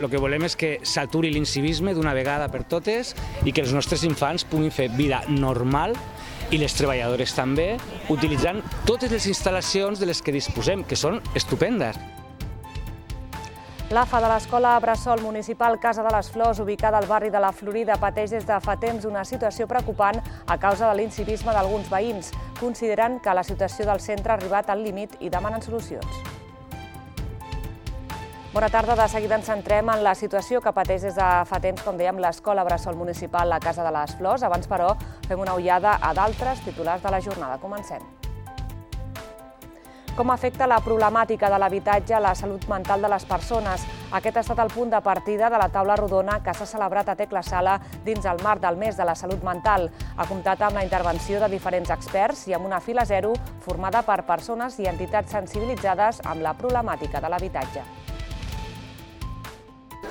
El que volem és que s'aturi l'incivisme d'una vegada per totes i que els nostres infants puguin fer vida normal i les treballadores també, utilitzant totes les instal·lacions de les que disposem, que són estupendes. L'AFA de l'Escola Bressol Municipal Casa de les Flors, ubicada al barri de la Florida, pateix des de fa temps una situació preocupant a causa de l'incivisme d'alguns veïns. Consideren que la situació del centre ha arribat al límit i demanen solucions. Bona tarda, de seguida ens centrem en la situació que pateix des de fa temps, com dèiem, l'Escola Bressol Municipal a Casa de les Flors. Abans, però, fem una ullada a d'altres titulars de la jornada. Comencem. Com afecta la problemàtica de l'habitatge a la salut mental de les persones? Aquest ha estat el punt de partida de la taula rodona que s'ha celebrat a Tecla Sala dins el marc del mes de la salut mental. Ha comptat amb la intervenció de diferents experts i amb una fila zero formada per persones i entitats sensibilitzades amb la problemàtica de l'habitatge.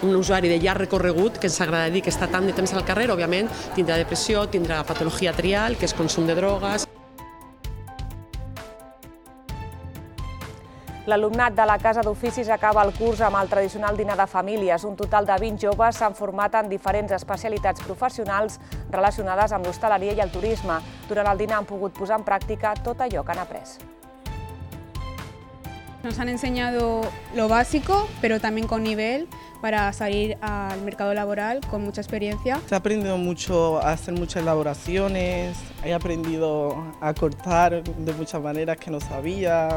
Un usuari de llarg recorregut que ens agrada dir que està tant de temps al carrer, òbviament, tindrà depressió, tindrà patologia trial, que és consum de drogues. L'alumnat de la Casa d'Oficis acaba el curs amb el tradicional dinar de famílies. Un total de 20 joves s'han format en diferents especialitats professionals relacionades amb l'hostaleria i el turisme. Durant el dinar han pogut posar en pràctica tot allò que han après. Nos han enseñado lo básico, pero también con nivel para salir al mercado laboral con mucha experiencia. Se ha aprendido mucho a hacer muchas elaboraciones, he aprendido a cortar de muchas maneras que no sabía.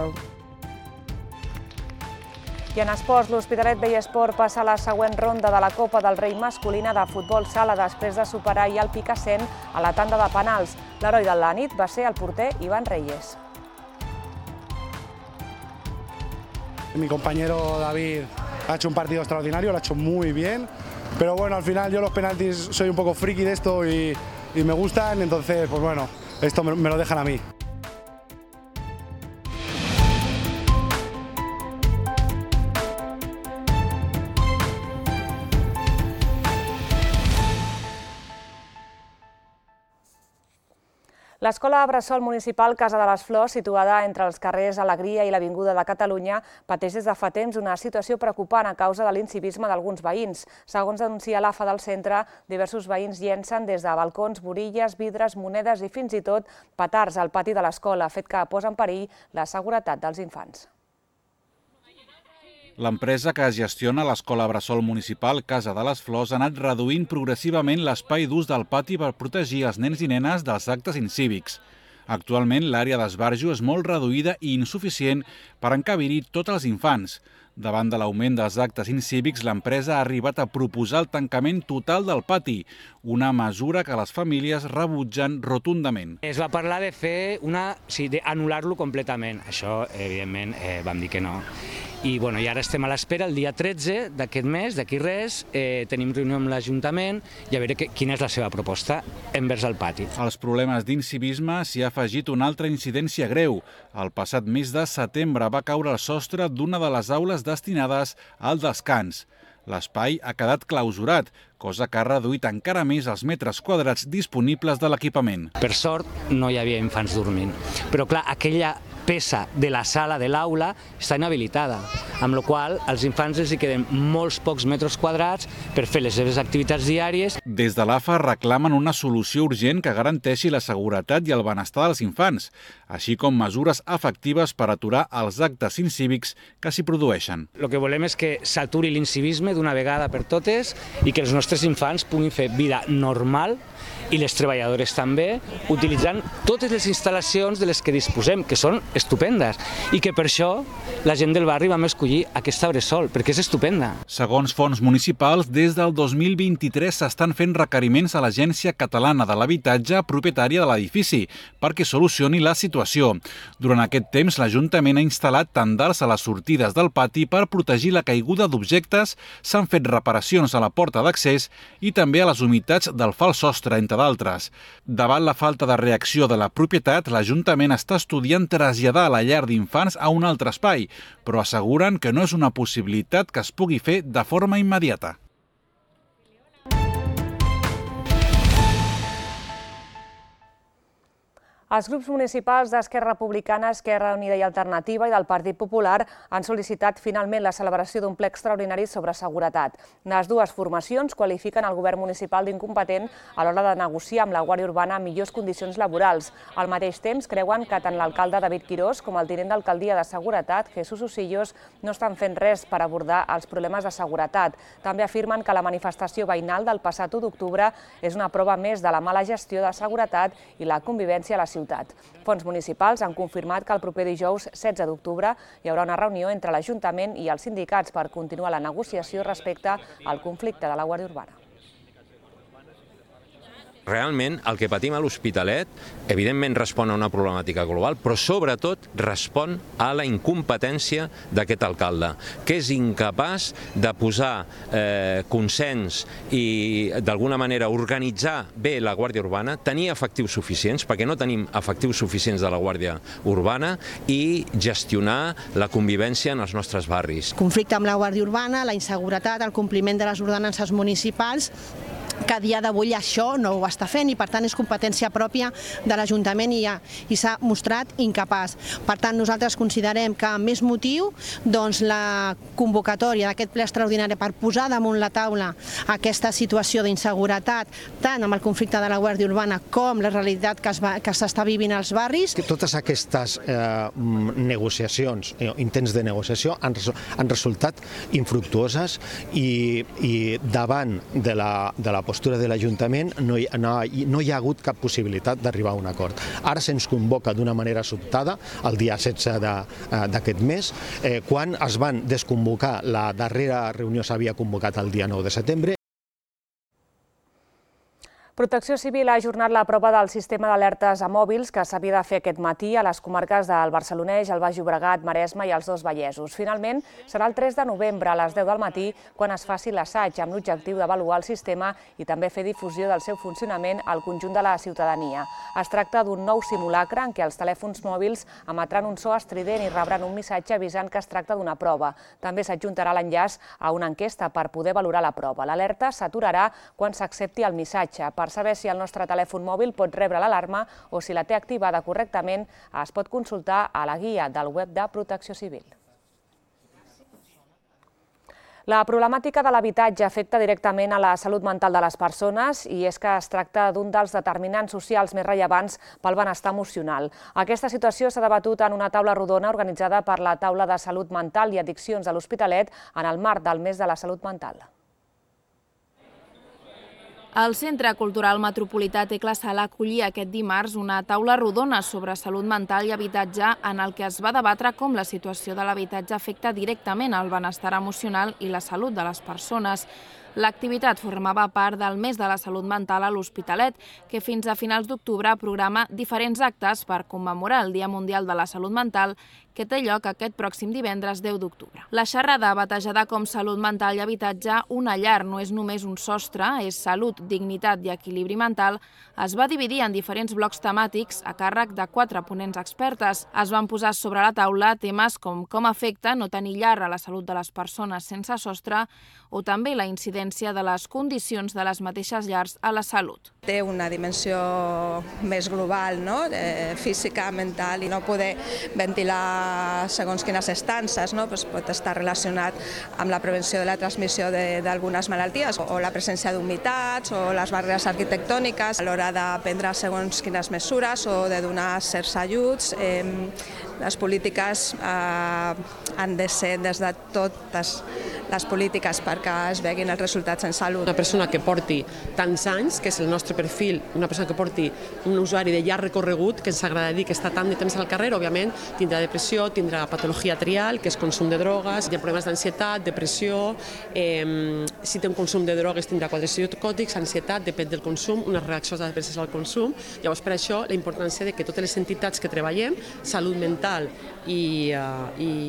I en esports, l'Hospitalet Vallesport passa a la següent ronda de la Copa del Rei masculina de futbol sala després de superar i el Picassent a la tanda de penals. L'heroi de la nit va ser el porter Iván Reyes. Mi compañero David ha hecho un partido extraordinario, lo ha hecho muy bien, pero bueno, al final yo los penaltis soy un poco friki de esto y me gustan, entonces pues bueno, esto me lo dejan a mí. L'Escola Bressol Municipal Casa de les Flors, situada entre els carrers Alegria i l'Avinguda de Catalunya, pateix des de fa temps una situació preocupant a causa de l'incivisme d'alguns veïns. Segons denuncia l'AFA del centre, diversos veïns llencen des de balcons, borilles, vidres, monedes i fins i tot petards al pati de l'escola, fet que posa en perill la seguretat dels infants. L'empresa que gestiona l'Escola Bressol Municipal Casa de les Flors ha anat reduint progressivament l'espai d'ús del pati per protegir els nens i nenes dels actes incívics. Actualment, l'àrea d'esbarjo és molt reduïda i insuficient per encabir-hi tots els infants. Davant de l'augment dels actes incívics, l'empresa ha arribat a proposar el tancament total del pati, una mesura que les famílies rebutgen rotundament. Es va parlar de fer d'anul·lar-lo completament. Això, evidentment, vam dir que no. I ara estem a l'espera, el dia 13 d'aquest mes, d'aquí res, tenim reunió amb l'Ajuntament i a veure quina és la seva proposta envers el pati. Als problemes d'incivisme s'hi ha afegit una altra incidència greu. El passat mes de setembre va caure el sostre d'una de les aules destinades al descans. L'espai ha quedat clausurat, cosa que ha reduït encara més els metres quadrats disponibles de l'equipament. Per sort, no hi havia infants dormint, però clar, aquella peça de la sala de l'aula està inhabilitada, amb la qual cosa als infants els hi queden molts pocs metres quadrats per fer les seves activitats diàries. Des de l'AFA reclamen una solució urgent que garanteixi la seguretat i el benestar dels infants, així com mesures efectives per aturar els actes incívics que s'hi produeixen. El que volem és que s'aturi l'incivisme d'una vegada per totes i que els nostres infants puguin fer vida normal i les treballadores també, utilitzant totes les instal·lacions de les que disposem, que són estupendes, i que per això la gent del barri vam escollir aquesta Bressol, perquè és estupenda. Segons fons municipals, des del 2023 s'estan fent requeriments a l'Agència Catalana de l'Habitatge propietària de l'edifici perquè solucioni la situació. Durant aquest temps, l'Ajuntament ha instal·lat tendals a les sortides del pati per protegir la caiguda d'objectes, s'han fet reparacions a la porta d'accés i també a les humitats del fals sostre, entre d'altres. Davant la falta de reacció de la propietat, l'Ajuntament està estudiant traslladar la llar d'infants a un altre espai, però asseguren que no és una possibilitat que es pugui fer de forma immediata. Els grups municipals d'Esquerra Republicana, Esquerra Unida i Alternativa i del Partit Popular han sol·licitat finalment la celebració d'un ple extraordinari sobre seguretat. Les dues formacions qualifiquen el govern municipal d'incompetent a l'hora de negociar amb la Guàrdia Urbana millors condicions laborals. Al mateix temps, creuen que tant l'alcalde David Quirós com el tinent d'alcaldia de Seguretat, Jesús Usillos, no estan fent res per abordar els problemes de seguretat. També afirmen que la manifestació veïnal del passat 1 d'octubre és una prova més de la mala gestió de seguretat i la convivència a la ciutat. Fons municipals han confirmat que el proper dijous 16 d'octubre hi haurà una reunió entre l'Ajuntament i els sindicats per continuar la negociació respecte al conflicte de la Guàrdia Urbana. Realment, el que patim a l'Hospitalet, evidentment respon a una problemàtica global, però sobretot respon a la incompetència d'aquest alcalde, que és incapaç de posar consens i, d'alguna manera, organitzar bé la Guàrdia Urbana, tenir efectius suficients, perquè no tenim efectius suficients de la Guàrdia Urbana, i gestionar la convivència en els nostres barris. Conflicte amb la Guàrdia Urbana, la inseguretat, el compliment de les ordenances municipals, que a dia d'avui això no ho està fent i per tant és competència pròpia de l'Ajuntament i s'ha mostrat incapaç. Per tant, nosaltres considerem que amb més motiu la convocatòria d'aquest ple extraordinari per posar damunt la taula aquesta situació d'inseguretat, tant amb el conflicte de la Guàrdia Urbana com la realitat que s'està vivint als barris. Totes aquestes negociacions, intents de negociació, han resultat infructuoses i davant de la postura de l'Ajuntament no hi ha hagut cap possibilitat d'arribar a un acord. Ara se'ns convoca d'una manera sobtada, el dia 16 d'aquest mes, quan es van desconvocar, la darrera reunió s'havia convocat el dia 9 de setembre. Protecció Civil ha ajornat la prova del sistema d'alertes a mòbils que s'havia de fer aquest matí a les comarques del Barcelonès, el Baix Llobregat, Maresme i els dos Vallesos. Finalment, serà el 3 de novembre a les 10 del matí quan es faci l'assaig amb l'objectiu d'avaluar el sistema i també fer difusió del seu funcionament al conjunt de la ciutadania. Es tracta d'un nou simulacre en què els telèfons mòbils emetran un so estrident i rebran un missatge avisant que es tracta d'una prova. També s'adjuntarà l'enllaç a una enquesta per poder valorar la prova. L'alerta s'aturarà quan s'accepti el missatge. Per saber si el nostre telèfon mòbil pot rebre l'alarma o si la té activada correctament, es pot consultar a la guia del web de Protecció Civil. La problemàtica de l'habitatge afecta directament a la salut mental de les persones i és que es tracta d'un dels determinants socials més rellevants pel benestar emocional. Aquesta situació s'ha debatut en una taula rodona organitzada per la Taula de Salut Mental i Addiccions de l'Hospitalet en el marc del mes de la salut mental. El Centre Cultural Metropolità Tecla Sala acollia aquest dimarts una taula rodona sobre salut mental i habitatge en el que es va debatre com la situació de l'habitatge afecta directament el benestar emocional i la salut de les persones. L'activitat formava part del mes de la salut mental a l'Hospitalet, que fins a finals d'octubre programa diferents actes per commemorar el Dia Mundial de la Salut Mental, que té lloc aquest pròxim divendres 10 d'octubre. La xerrada, batejada com Salut Mental i Habitatge, una llar no és només un sostre, és salut, dignitat i equilibri mental, es va dividir en diferents blocs temàtics a càrrec de 4 ponents expertes. Es van posar sobre la taula temes com afecta no tenir llar a la salut de les persones sense sostre o també la incidència de les condicions de les mateixes llars a la salut. Té una dimensió més global, física, mental, i no poder ventilar segons quines estances, pot estar relacionat amb la prevenció de la transmissió d'algunes malalties o la presència d'humitats o les barreres arquitectòniques a l'hora de prendre segons quines mesures o de donar certs ajuts. Les polítiques han de ser des de totes les polítiques perquè es veguin els resultats en salut. Una persona que porti tants anys, que és el nostre perfil, una persona que porti un usuari de llarg recorregut, que ens agrada dir que està tant de temps al carrer, òbviament tindrà depressió, tindrà patologia trial, que és consum de drogues, hi ha problemes d'ansietat, depressió, si té un consum de drogues tindrà quadres psicòtics, ansietat, depèn del consum, unes reaccions adverses al consum. Llavors, per això, la importància de que totes les entitats que treballem, salut mental i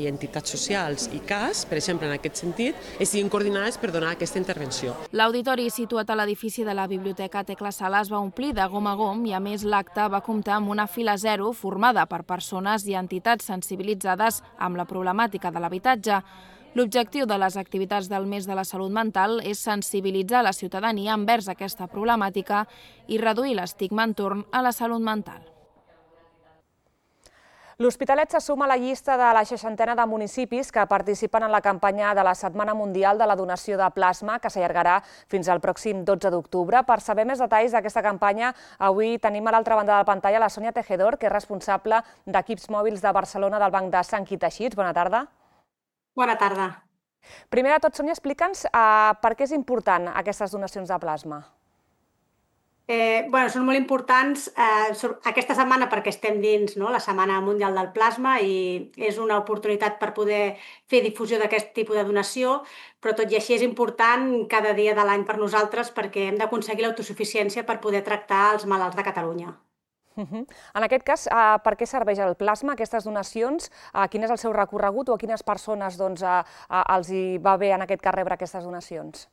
entitats socials i CAS, per exemple, en aquest sentit, estiguin coordinades per donar aquesta intervenció. L'auditori situat a l'edifici de la Biblioteca Tecla Sala es va omplir de gom a gom i, a més, l'acte va comptar amb una fila zero formada per persones i entitats sensibilitzades amb la problemàtica de l'habitatge. L'objectiu de les activitats del mes de la salut mental és sensibilitzar la ciutadania envers aquesta problemàtica i reduir l'estigma entorn a la salut mental. L'Hospitalet se suma a la llista de la 60ena de municipis que participen en la campanya de la Setmana Mundial de la Donació de Plasma, que s'allargarà fins al pròxim 12 d'octubre. Per saber més detalls d'aquesta campanya, avui tenim a l'altra banda de la pantalla la Sònia Tejedor, que és responsable d'equips mòbils de Barcelona del Banc de Sang i Teixits. Bona tarda. Bona tarda. Primer de tot, Sònia, explica'ns per què és important aquestes donacions de plasma. Són molt importants aquesta setmana perquè estem dins la Setmana Mundial del Plasma i és una oportunitat per poder fer difusió d'aquest tipus de donació, però tot i així és important cada dia de l'any per nosaltres perquè hem d'aconseguir l'autosuficiència per poder tractar els malalts de Catalunya. En aquest cas, per què serveix el plasma, aquestes donacions? Quin és el seu recorregut o a quines persones els hi va bé en aquest cas rebre aquestes donacions?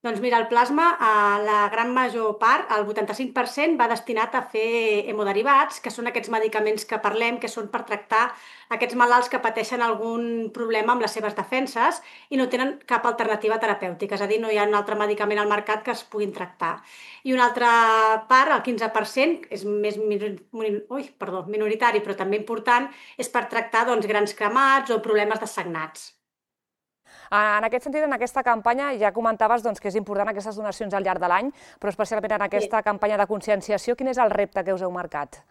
Doncs mira, el plasma, la gran major part, el 85%, va destinat a fer hemoderivats, que són aquests medicaments que parlem, que són per tractar aquests malalts que pateixen algun problema amb les seves defenses i no tenen cap alternativa terapèutica, és a dir, no hi ha un altre medicament al mercat que es puguin tractar. I una altra part, el 15%, és més minoritari, però també important, és per tractar grans cremats o problemes de sagnats. En aquest sentit, en aquesta campanya ja comentaves que és important aquestes donacions al llarg de l'any, però especialment en aquesta campanya de conscienciació, quin és el repte que us heu marcat?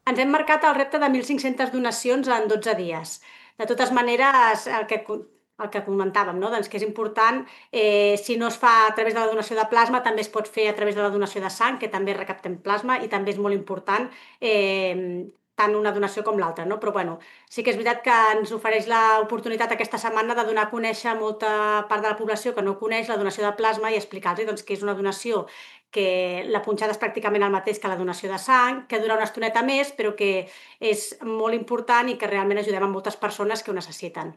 Ens hem marcat el repte de 1.500 donacions en 12 dies. De totes maneres, el que comentàvem, que és important, si no es fa a través de la donació de plasma, també es pot fer a través de la donació de sang, que també recaptem plasma i també és molt important tant una donació com l'altra, però sí que és veritat que ens ofereix l'oportunitat aquesta setmana de donar a conèixer a molta part de la població que no coneix la donació de plasma i explicar-los que és una donació que la punxada és pràcticament el mateix que la donació de sang, que dura una estoneta més, però que és molt important i que realment ajudem a moltes persones que ho necessiten.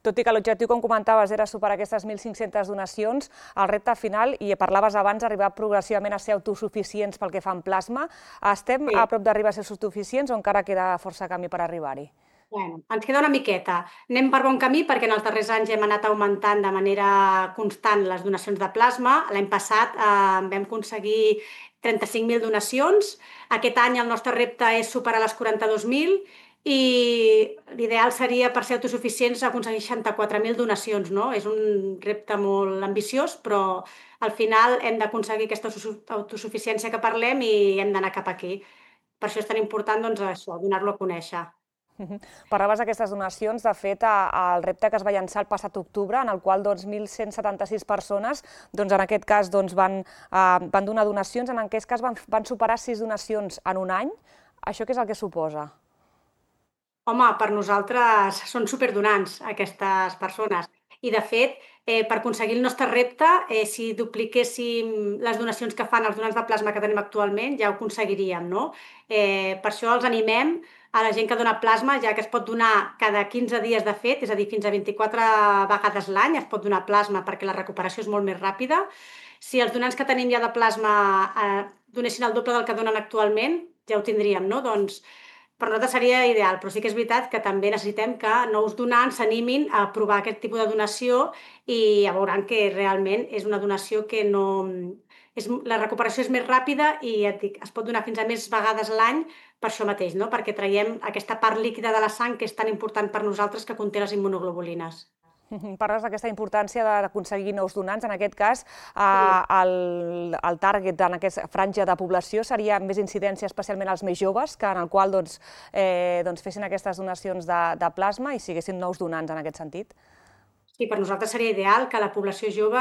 Tot i que l'objectiu, com comentaves, era superar aquestes 1.500 donacions, el repte final, i parlaves abans, arribar progressivament a ser autosuficients pel que fa en plasma. Estem a prop d'arribar a ser autosuficients o encara queda força camí per arribar-hi? Ens queda una miqueta. Anem per bon camí perquè en els darrers anys hem anat augmentant de manera constant les donacions de plasma. L'any passat vam aconseguir 35.000 donacions. Aquest any el nostre repte és superar les 42.000 i l'ideal seria, per ser autosuficients, aconseguir 64.000 donacions. És un repte molt ambiciós, però al final hem d'aconseguir aquesta autosuficiència que parlem i hem d'anar cap aquí. Per això és tan important donar-lo a conèixer. Parlaves d'aquestes donacions, de fet, el repte que es va llançar el passat octubre, en el qual 1.176 persones, en aquest cas, van donar donacions, en aquest cas van superar 6 donacions en un any. Això què és el que suposa? Home, per nosaltres són superdonants aquestes persones i, de fet, per aconseguir el nostre repte, si dupliquéssim les donacions que fan els donants de plasma que tenim actualment, ja ho aconseguiríem. Per això els animem a la gent que dona plasma, ja que es pot donar cada 15 dies de fet, és a dir, fins a 24 vegades l'any es pot donar plasma perquè la recuperació és molt més ràpida. Si els donants que tenim ja de plasma donessin el doble del que donen actualment, ja ho tindríem, doncs per nosaltres seria ideal, però sí que és veritat que també necessitem que nous donants s'animin a provar aquest tipus de donació i ja veuran que realment és una donació que la recuperació és més ràpida i es pot donar fins a més vegades l'any per això mateix, perquè traiem aquesta part líquida de la sang que és tan important per nosaltres que conté les immunoglobulines. Parles d'aquesta importància d'aconseguir nous donants. En aquest cas, el target en aquesta franja de població seria més incidència especialment als més joves, en el qual fessin aquestes donacions de plasma i siguessin nous donants en aquest sentit. Sí, per nosaltres seria ideal que la població jove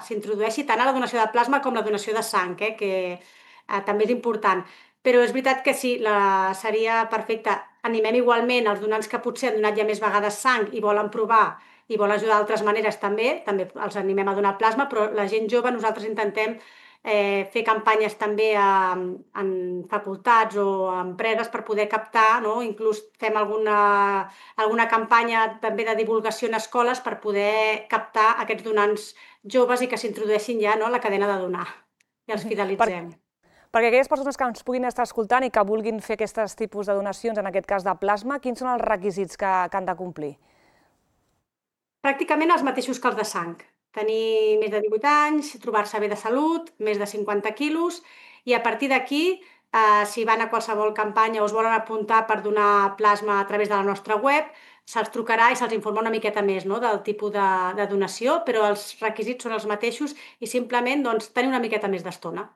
s'introdueixi tant a la donació de plasma com la donació de sang, que també és important. Però és veritat que sí, seria perfecte. Animem igualment els donants que potser han donat ja més vegades sang i volen provar i volen ajudar d'altres maneres també els animem a donar plasma, però la gent jove nosaltres intentem fer campanyes també en facultats o empreses per poder captar, inclús fem alguna campanya també de divulgació en escoles per poder captar aquests donants joves i que s'introdueixin ja a la cadena de donar i els fidelitzem. Perquè aquelles persones que ens puguin estar escoltant i que vulguin fer aquests tipus de donacions, en aquest cas de plasma, quins són els requisits que han de complir? Pràcticament els mateixos que els de sang. Tenir més de 18 anys, trobar-se bé de salut, més de 50 quilos, i a partir d'aquí si van a qualsevol campanya o es volen apuntar per donar plasma a través de la nostra web, se'ls trucarà i se'ls informa una miqueta més del tipus de donació, però els requisits són els mateixos i simplement tenir una miqueta més d'estona.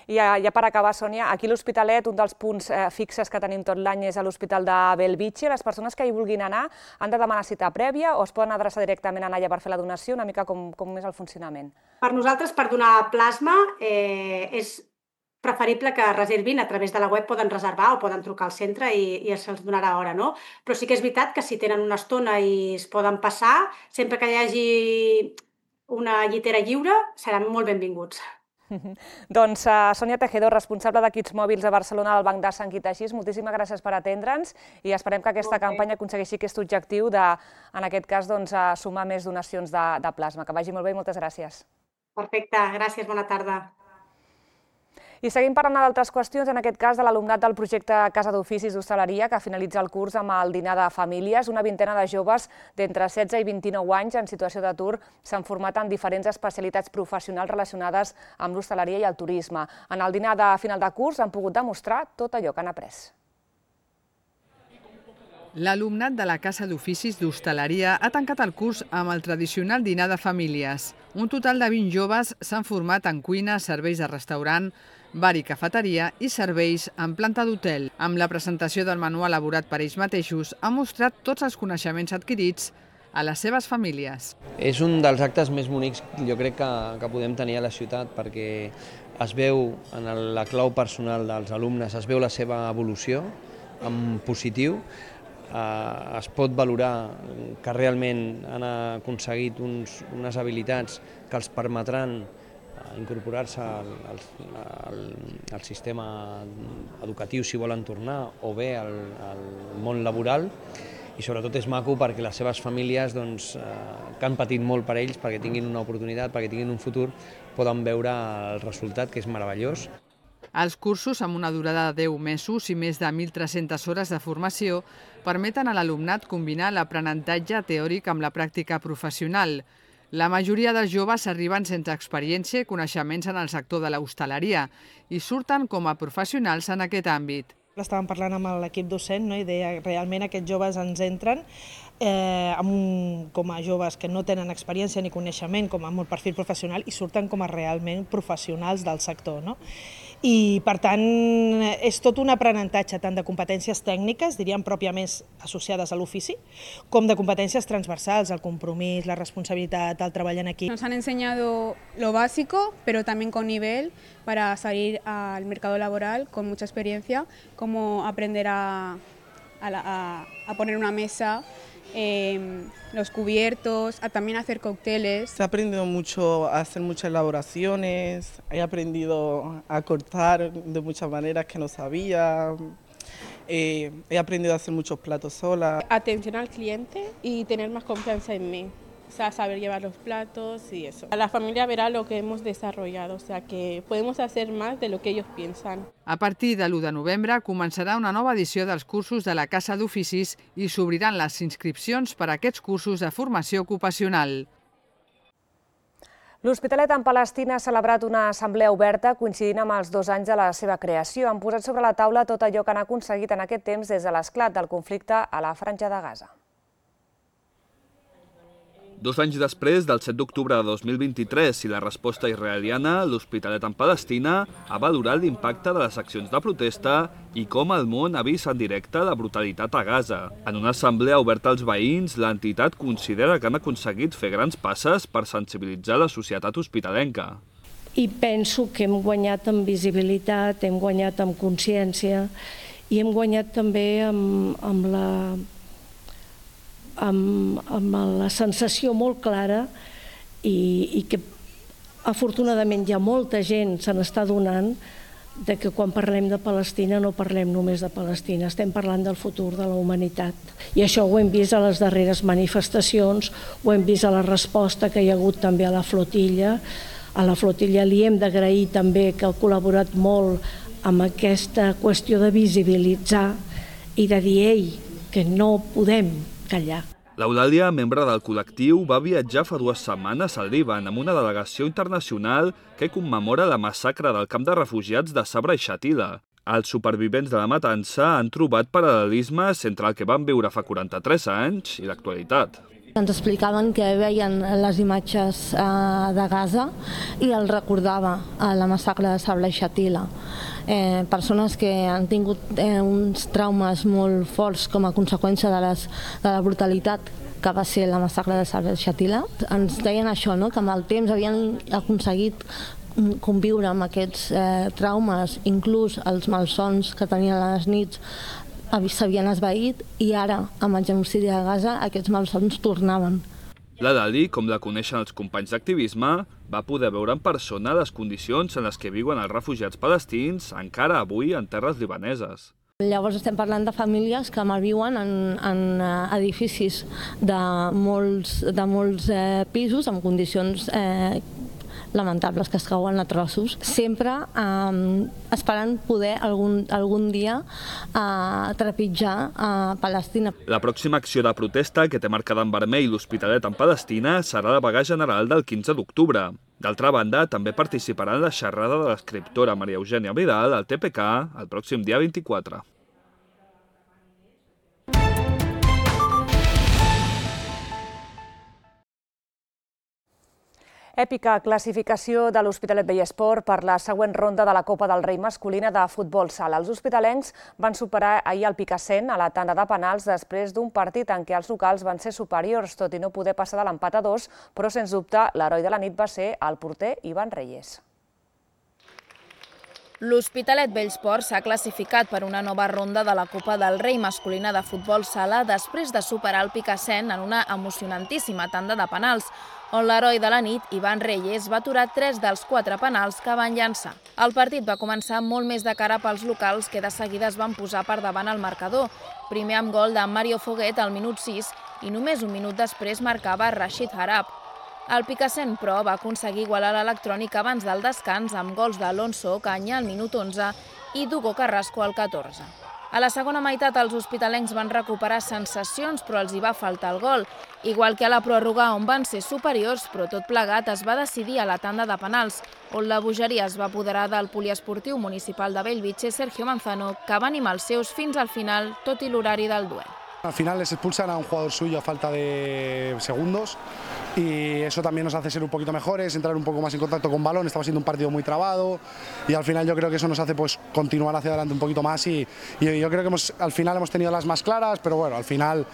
I ja per acabar, Sònia, aquí a l'Hospitalet un dels punts fixes que tenim tot l'any és a l'Hospital de Bellvitge. Les persones que hi vulguin anar han de demanar cita prèvia o es poden adreçar directament allà per fer la donació? Una mica com és el funcionament. Per nosaltres, per donar plasma, és preferible que reservin a través de la web, poden reservar o poden trucar al centre i se'ls donarà hora, no? Però sí que és veritat que si tenen una estona i es poden passar, sempre que hi hagi una llitera lliure, seran molt benvinguts. Doncs Sònia Tejedor, responsable d'equips mòbils a Barcelona del Banc de Sang i Teixits, moltíssimes gràcies per atendre'ns i esperem que aquesta campanya aconsegueixi aquest objectiu de, en aquest cas, sumar més donacions de plasma. Que vagi molt bé i moltes gràcies. Perfecte, gràcies, bona tarda. I seguim parlant d'altres qüestions, en aquest cas de l'alumnat del projecte Casa d'Oficis d'Hostaleria, que finalitza el curs amb el dinar de famílies. Una vintena de joves d'entre 16 i 29 anys en situació d'atur s'han format en diferents especialitats professionals relacionades amb l'hostaleria i el turisme. En el dinar de final de curs han pogut demostrar tot allò que han après. L'alumnat de la Casa d'Oficis d'Hostaleria ha tancat el curs amb el tradicional dinar de famílies. Un total de 20 joves s'han format en cuina, serveis de restaurant, bar i cafeteria i serveis en planta d'hotel. Amb la presentació del menú elaborat per ells mateixos, han mostrat tots els coneixements adquirits a les seves famílies. És un dels actes més bonics, jo crec, que podem tenir a la ciutat, perquè es veu en la clau personal dels alumnes, es veu la seva evolució en positiu, es pot valorar que realment han aconseguit unes habilitats que els permetran incorporar-se al sistema educatiu si volen tornar o bé al món laboral, i sobretot és maco perquè les seves famílies que han patit molt per ells, perquè tinguin una oportunitat, perquè tinguin un futur, poden veure el resultat, que és meravellós. Els cursos, amb una durada de 10 mesos i més de 1.300 hores de formació, permeten a l'alumnat combinar l'aprenentatge teòric amb la pràctica professional. La majoria dels joves arriben sense experiència i coneixements en el sector de l'hostaleria i surten com a professionals en aquest àmbit. Estàvem parlant amb l'equip docent i deia que realment aquests joves ens entren com a joves que no tenen experiència ni coneixement, com amb un perfil professional, i surten com a realment professionals del sector. I, per tant, és tot un aprenentatge tant de competències tècniques, diríem pròpiament associades a l'ofici, com de competències transversals, el compromís, la responsabilitat, el treball en equip. Nos han enseñado lo básico, pero también con nivel para salir al mercado laboral con mucha experiencia, cómo aprender a poner una mesa, los cubiertos, a también hacer cócteles. He aprendido mucho a hacer muchas elaboraciones, he aprendido a cortar de muchas maneras que no sabía, he aprendido a hacer muchos platos sola. Atención al cliente y tener más confianza en mí. O sea, saber llevar los platos y eso. La familia verá lo que hemos desarrollado, o sea que podemos hacer más de lo que ellos piensan. A partir de l'1 de novembre començarà una nova edició dels cursos de la Casa d'Oficis i s'obriran les inscripcions per a aquests cursos de formació ocupacional. L'Hospitalet en Palestina ha celebrat una assemblea oberta coincidint amb els 2 anys de la seva creació. Han posat sobre la taula tot allò que han aconseguit en aquest temps des de l'esclat del conflicte a la Franja de Gaza. 2 anys després del 7 d'octubre de 2023 i la resposta israeliana, l'Hospitalet en Palestina ha valorat l'impacte de les accions de protesta i com el món ha vist en directe la brutalitat a Gaza. En una assemblea oberta als veïns, l'entitat considera que han aconseguit fer grans passes per sensibilitzar la societat hospitalenca. I penso que hem guanyat en visibilitat, hem guanyat en consciència i hem guanyat també amb la sensació molt clara i que afortunadament ja molta gent se n'està donant de que quan parlem de Palestina no parlem només de Palestina, estem parlant del futur de la humanitat. I això ho hem vist a les darreres manifestacions, ho hem vist a la resposta que hi ha hagut també a la flotilla. A la flotilla li hem d'agrair també que ha col·laborat molt amb aquesta qüestió de visibilitzar i de dir, ei, que no podem callar. L'Eulàlia, membre del col·lectiu, va viatjar fa 2 setmanes al Líban amb una delegació internacional que commemora la massacre del camp de refugiats de Sabra i Shatila. Els supervivents de la matança han trobat paral·lelismes entre el que van viure fa 43 anys i l'actualitat. Ens explicaven que veien les imatges de Gaza i els recordava la massacre de Sabra i Shatila. Persones que han tingut uns traumes molt forts com a conseqüència de la brutalitat que va ser la massacre de Sabra i Shatila. Ens deien això, que amb el temps havien aconseguit conviure amb aquests traumes, inclús els malsons que tenien a les nits s'havien esvaït i ara, amb el genocidi de Gaza, aquests malsons tornaven. La Dali, com la coneixen els companys d'activisme, va poder veure en persona les condicions en les que viuen els refugiats palestins encara avui en terres libaneses. Llavors estem parlant de famílies que malviuen en edificis de molts pisos, amb condicions lamentables que es cauen a trossos, sempre esperant poder algun dia trepitjar a Palestina. La pròxima acció de protesta, que té marcada en vermell l'Hospitalet en Palestina, serà la vaga general del 15 d'octubre. D'altra banda, també participarà en la xerrada de l'escriptora Maria Eugènia Vidal al TPK el pròxim dia 24. Èpica classificació de l'Hospitalet Vallesport per la següent ronda de la Copa del Rei masculina de futbol sala. Els hospitalencs van superar ahir el Picassent a la tanda de penals després d'un partit en què els locals van ser superiors, tot i no poder passar de l'empat a 2, però sens dubte l'heroi de la nit va ser el porter Ivan Reyes. L'Hospitalet Vallesport s'ha classificat per una nova ronda de la Copa del Rei masculina de futbol sala després de superar el Picassent en una emocionantíssima tanda de penals, on l'heroi de la nit, Ivan Reyes, va aturar 3 dels 4 penals que van llançar. El partit va començar molt més de cara pels locals, que de seguida es van posar per davant el marcador, primer amb gol de Mario Foguet al minut 6 i només un minut després marcava Rashid Harab. El Picassent, però, va aconseguir igualar l'Electrònic abans del descans amb gols d'Alonso Ocaña al minut 11 i d'Hugo Carrasco al 14. A la segona meitat els hospitalencs van recuperar sensacions, però els hi va faltar el gol, igual que a la pròrroga on van ser superiors, però tot plegat es va decidir a la tanda de penals, on la bogeria es va apoderar del poliesportiu municipal de Bellvitge, Sergio Manzano, que va animar els seus fins al final, tot i l'horari del duel. Al final les expulsan a un jugador suyo a falta de segundos y eso también nos hace ser un poquito mejores, entrar un poco más en contacto con balón. Estaba siendo un partido muy trabado y al final yo creo que eso nos hace continuar hacia adelante un poquito más y yo creo que al final hemos tenido las más claras, pero bueno, al final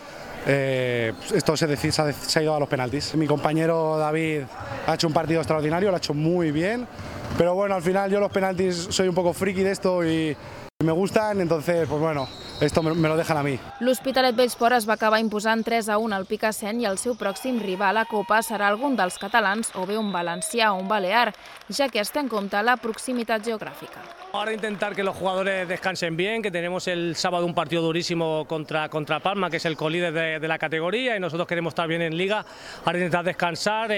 esto se ha ido a los penaltis. Mi compañero David ha hecho un partido extraordinario, lo ha hecho muy bien, pero bueno, al final yo los penaltis soy un poco friki de esto y me gustan, entonces pues bueno, esto me lo dejan a mi. L'Hospitalet Vallesport es va acabar imposant 3-1 al Picassent i el seu pròxim rival a Copa serà algun dels catalans o bé un valencià o un balear, ja que es té en compte la proximitat geogràfica. Ahora intentar que los jugadores descansen bien, que tenemos el sábado un partido durísimo contra Palma, que es el colíder de la categoría, y nosotros queremos estar bien en Liga. Ahora intentar descansar,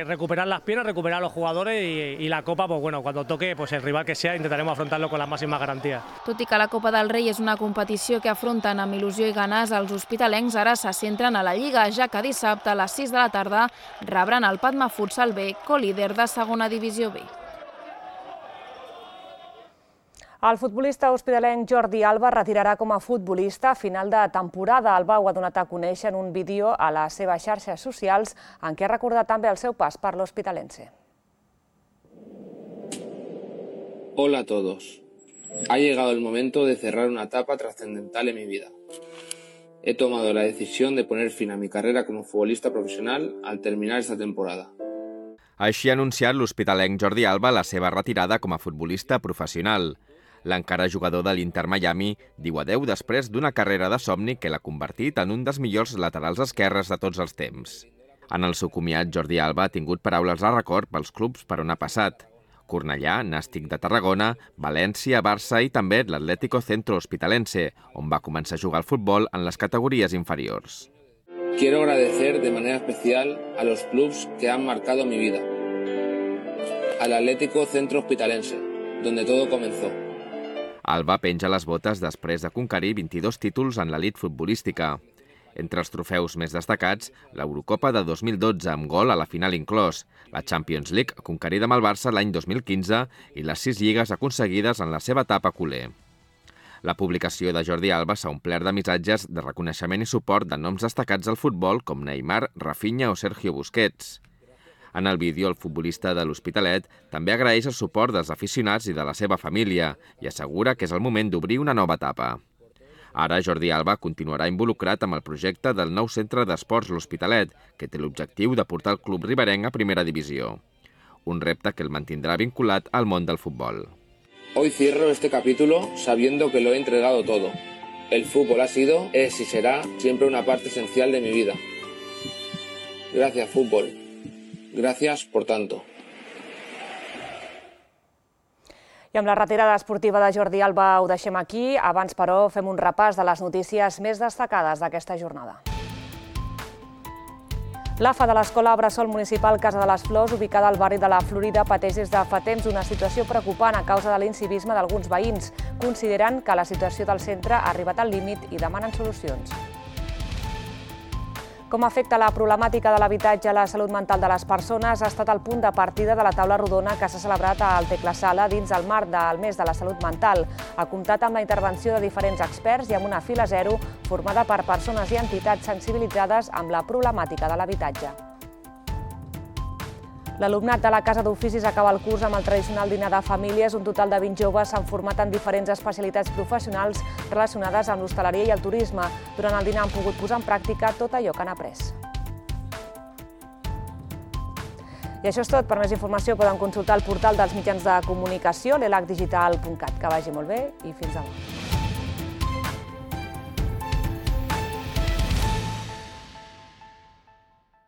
recuperar las piernas, recuperar a los jugadores y la Copa, pues bueno, cuando toque, pues el rival que sea, intentaremos afrontarlo con las máximas garantías. Tot i que la Copa del Rei és una competició que afronten amb il·lusió i ganes, els hospitalencs ara se centren a la Lliga, ja que dissabte a les 6 de la tarda rebran el Patma Futsal B, colíder de segona divisió B. El futbolista hospitalenc Jordi Alba retirarà com a futbolista a final de temporada. Alba ho ha donat a conèixer en un vídeo a les seves xarxes socials en què ha recordat també el seu pas per l'Hospitalense. Hola a todos. Ha llegado el momento de cerrar una etapa trascendental en mi vida. He tomado la decisión de poner fin a mi carrera como futbolista profesional al terminar esta temporada. Així ha anunciat l'hospitalenc Jordi Alba la seva retirada com a futbolista professional. L'encara jugador de l'Inter Miami diu adeu després d'una carrera de somni que l'ha convertit en un dels millors laterals esquerres de tots els temps. En el seu comiat, Jordi Alba ha tingut paraules de record pels clubs per on ha passat. Cornellà, Nàstic de Tarragona, València, Barça i també l'Atlético Centro Hospitalense, on va començar a jugar al futbol en les categories inferiors. Quiero agradecer de manera especial a los clubs que han marcado mi vida. Al Atlético Centro Hospitalense, donde todo comenzó. Alba penja les botes després de conquerir 22 títols en l'elit futbolística. Entre els trofeus més destacats, l'Eurocopa de 2012 amb gol a la final inclòs, la Champions League conquerida amb el Barça l'any 2015 i les 6 lligues aconseguides en la seva etapa culer. La publicació de Jordi Alba s'ha omplert de missatges de reconeixement i suport de noms destacats al futbol com Neymar, Rafinha o Sergio Busquets. En el vídeo, el futbolista de l'Hospitalet també agraeix el suport dels aficionats i de la seva família i assegura que és el moment d'obrir una nova etapa. Ara, Jordi Alba continuarà involucrat amb el projecte del nou centre d'esports L'Hospitalet, que té l'objectiu de portar el club riberenc a primera divisió. Un repte que el mantindrà vinculat al món del futbol. Hoy cierro este capítulo sabiendo que lo he entregado todo. El fútbol ha sido, es y será siempre una parte esencial de mi vida. Gracias, fútbol. Gracias por tanto. I amb la retirada esportiva de Jordi Alba ho deixem aquí. Abans, però, fem un repàs de les notícies més destacades d'aquesta jornada. L'AFA de l'Escola Bressol Municipal Casa de les Flors, ubicada al barri de la Florida, pateix des de fa temps una situació preocupant a causa de l'incivisme d'alguns veïns. Consideren que la situació del centre ha arribat al límit i demanen solucions. Com afecta la problemàtica de l'habitatge a la salut mental de les persones ha estat el punt de partida de la taula rodona que s'ha celebrat al Tecla Sala dins el marc del mes de la salut mental. Ha comptat amb la intervenció de diferents experts i amb una fila zero formada per persones i entitats sensibilitzades amb la problemàtica de l'habitatge. L'alumnat de la Casa d'Oficis acaba el curs amb el tradicional dinar de famílies. Un total de 20 joves s'han format en diferents especialitats professionals relacionades amb l'hostaleria i el turisme. Durant el dinar han pogut posar en pràctica tot allò que han après. I això és tot. Per més informació poden consultar el portal dels mitjans de comunicació, l'elacdigital.cat. Que vagi molt bé i fins demà.